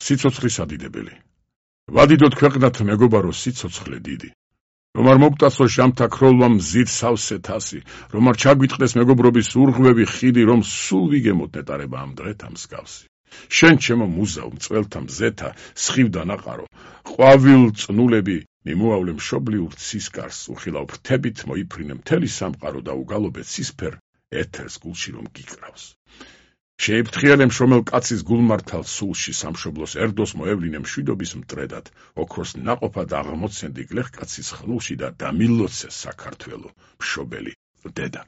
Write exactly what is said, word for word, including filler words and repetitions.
სიცოცხლის ადიდებელი. ვადიდოთ ქვეყნად მეგობარო სიცოცხლე დიდი. რომ არ მოგტაცო ჟამთა ქროლვა მზით სავსე თასი, რომ არ ჩაგვიტყდეს მეგობრობის ურღვევი ხიდი, რომ სულ ვიგემოთ ნეტარება ამ დღეთა მსგავსი. შენ ჩემო მუზავ მწველთა მზეთა, სხივ დანაყარო, ყვავილ წნულები მიმოავლე მშობლიურ ცისკარს, უხილავ ფრთებით მოიფრინე მთელი სამყარო და უგალობე ცისფერ ეთერს გულში რომ გიკრავს. შეიფრთხილე მშრომელ კაცის გულმართალ სულში სამშობლოს ერდოს მოევლინე მშვიდობის მტრედად, ოქროს ნაყოფად აღმოცენდი გლეხკაცის ხნულში და დამილოცე საქართველო მშობელი დედა.